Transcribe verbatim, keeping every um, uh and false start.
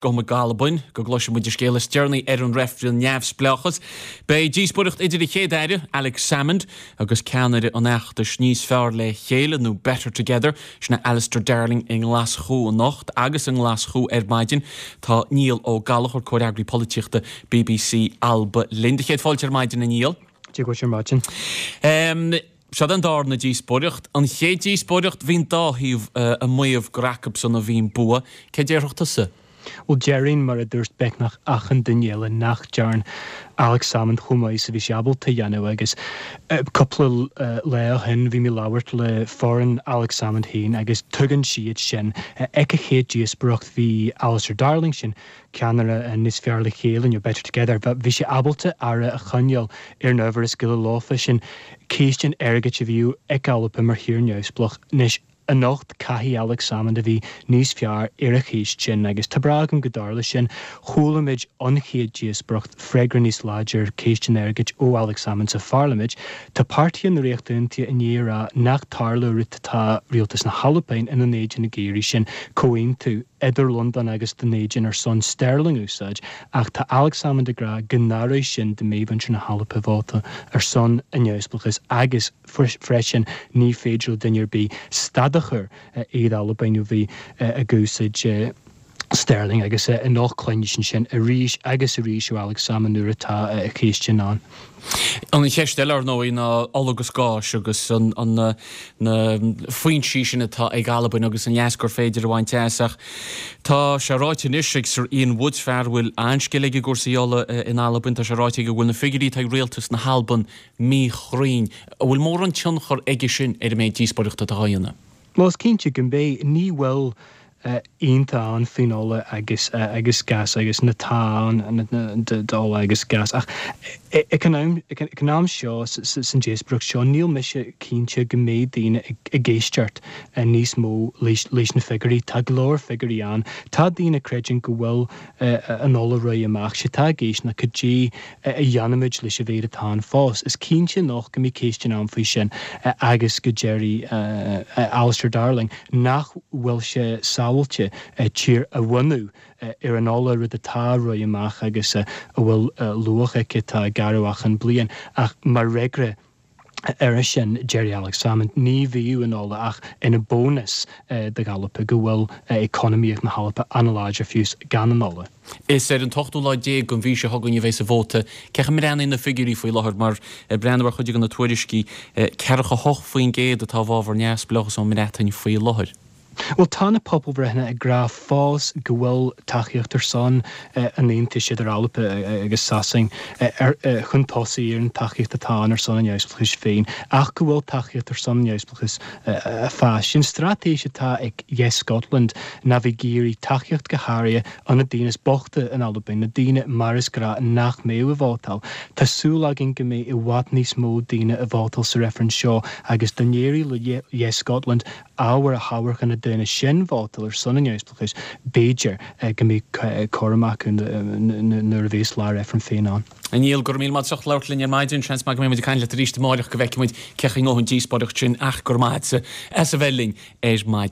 Gabhfaidh muid go Albain go gcloisfidh muid an scéal is deireanaí ar an reifreann neamhspleáchas. Beidh díospóireacht idir an Chéad-Aire, Alex Salmond, agus ceannaire an fheachtais Níos Fearr le Chéile nó Better Together, sin é Alistair Darling i nGlaschú anocht agus i nGlaschú ar maidin. Tá Niall Ó Gallchóir, comhfhreagraí polaitíochta B B C Alba linn. Do chéad fáilte ar maidin, a Niall. Dia dhuit ar maidin. Um, Seo an darna díospóireacht. An chéad díospóireacht, bhí an dá thaobh uh, ag maíomh gur acusan a bhí an bua. Cé déarfadh tusa? Well, déarfainn, mar a dúirt beagnach achan duine eile, nach dearn Alex Salmond chomh maith is a bhí sé ábalta a dhéanamh. Agus cúpla lá ó shin bhí mé ag labhairt le foireann Alex Salmond féin agus tuigeann siad sin. Ag an chéad díospóireacht bhí Alistair Darling, sin ceannaire Níos Fearr le Chéile nó Better Together, bhí sé ábalta aire a choinneáil ar an ábhar is gile leofa, sin ceist an airgid a bhí ag Albain mar thír neamhspleách. Anois, anocht caithfidh Alex Salmond a bhí níos fearr ar an cheist sin agus tá brá agam go dtarlóidh sin. Chuala muid an chéad díospóireacht freagra níos láidir ceist an airgid ó Alex Salmond sa pharlaimint. Tá páirtí na Ríochta Aontaithe i ndiaidh a rá nach dtarlódh rud atá rialtas na hAlban ina n-éadan ag iarraidh, sin comhaontú idir Londain agus Dún Éideann ar son sterling úsáid, ach tá Alex Salmond ag rá go n-athróidh sin dá mbeadh muintir na hAlban vóta ar son an neamhspleáchais agus freisin ní féidir le duine ar bith stad a chur ar Albain ó bheith ag úsáid sterling. Agus anocht cluinfidh sin arís agus arís ó Alex Salmond nuair atá a cheist sin ann. An cheist eile ar ndóigh ná ola agus gás agus an, an, na, na foinsí sin atá ag Albain agus an leas gur féidir a bhaint as, ach tá sé ráite anois ag Sir Ian Woods, fear a bhfuil an-scil aige i gcúrsaí ola in Albain, tá sé ráite go bhfuil na figiúirí atá ag rialtas na hAlban míchruinn. An bhfuil mórán tionchar aige sin ar an méid díospóireachta atá á dhéanamh? Más cinnte go mbeidh. Ní bhfuil ionta an faoin ola agus agus gas agus na tá d'ola agus gas, ach ag an am seo san díospóireacht seo níl mise cinnte go mbeidh daoine ag éisteacht níos mó leis na figiúirí. Tá go leor figiúirí ann. Tá daoine creideann go bhfuil an ola réidh amach sé tá géis na cudí a dhéanfaimid leis a mhéid atá ann fós. Is cinnte nach go mbeidh ceist ann faoi sin agus go ndéarfaidh Alistair Darling nach bhfuil sé sábháilte tír a bhunú ar an ola, rud atá réidh amach agus a bhfuil luach aici atá ag athrú achan bliain. Ach mar fhreagra ar sin deir Alex Salmond ní bhíonn an ola ach ina bónas d'Albain, go bhfuil economíocht na hAlban an-láidir fiús gan an ola. Is ar an t-ochtú lá déag den mhí seo chugainn a bheas an vóta. Cén chaoi a mbreathnaíonn na figiúirí faoi láthair? Mar breathnú ar chuid de na tuairiscí, ceathracha hocht faoin gcéad atá i bhfabhar neamhspleáchas ón mBreatain faoi láthair. Well, tá na pobalbhreitheanna ag rá fós go bhfuil tacaíocht ar son an aontais idir Albain agus Sasain chun tosaigh ar an tacaíocht atá ann ar son an neamhspleáchais féin, ach go bhfuil tacaíocht ar son an neamhspleáchais fás. Sin straitéis atá ag Yes Scotland ná bheith ag iarraidh tacaíocht go háirithe ó na daoine is boichte in Albain, na daoine mar is gnách nach mbeadh ag vótáil. Tá súil againn go mbeidh i bhfad níos mó daoine ag vótáil sa reifreann seo agus dá n-éireodh le Yes Scotland ábhar a thabhairt chun na daoine sin vótáil ar son an neamhspleáchais, b'fhéidir go mbeidh cothrom acu nuair a bheas lá reifreann féin ann. Niall, go raibh míle maith as labhairt linn ar maidin. Seans maith go mbeidh muid ag caint leat arís amárach go bhfeicfidh muid cén chaoi a ngabhfaidh an díospóireacht sin, ach go raibh maith as a bheith linn ar maidin.